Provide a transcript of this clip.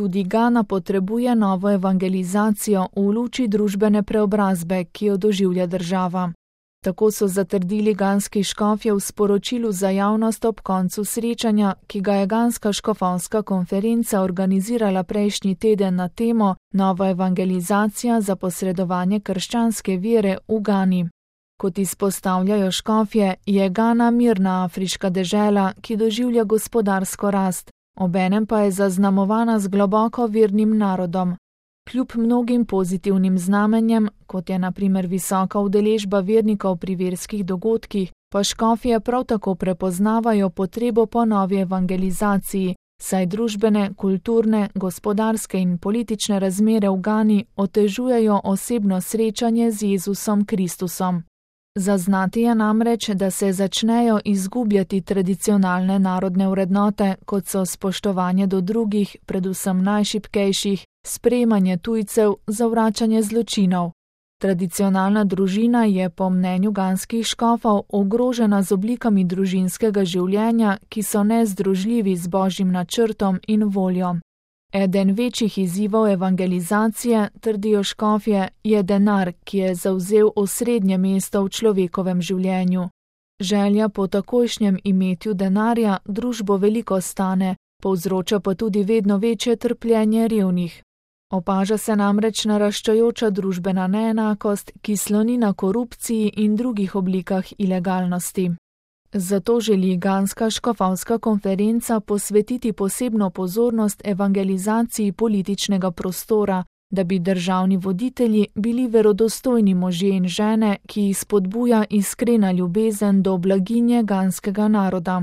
Tudi Gana potrebuje novo evangelizacijo v luči družbene preobrazbe, ki jo doživlja država. Tako so zatrdili ganski škofje v sporočilu za javnost ob koncu srečanja, ki ga je ganska škofovska konferenca organizirala prejšnji teden na temo Nova evangelizacija za posredovanje krščanske vere v Gani. Kot izpostavljajo škofje, je Gana mirna afriška dežela, ki doživlja gospodarsko rast, obenem pa je zaznamovana z globoko vernim narodom. Kljub mnogim pozitivnim znamenjem, kot je na primer visoka udeležba vernikov pri verskih dogodkih, pa škofje prav tako prepoznavajo potrebo po novi evangelizaciji, saj družbene, kulturne, gospodarske in politične razmere v Gani otežujejo osebno srečanje z Jezusom Kristusom. Zaznati je namreč, da se začnejo izgubljati tradicionalne narodne vrednote, kot so spoštovanje do drugih, predvsem najšibkejših, sprejemanje tujcev, zavračanje zločinov. Tradicionalna družina je po mnenju ganskih škofov ogrožena z oblikami družinskega življenja, ki so nezdružljivi z Božjim načrtom in voljo. Eden večjih izzivov evangelizacije, trdijo škofje, je denar, ki je zavzel osrednje mesto v človekovem življenju. Želja po takojšnjem imetju denarja družbo veliko stane, povzroča pa tudi vedno večje trpljenje revnih. Opaža se namreč naraščajoča družbena neenakost, ki sloni na korupciji in drugih oblikah ilegalnosti. Zato želi ganska škofovska konferenca posvetiti posebno pozornost evangelizaciji političnega prostora, da bi državni voditelji bili verodostojni možje in žene, ki jih spodbuja iskrena ljubezen do blaginje ganskega naroda.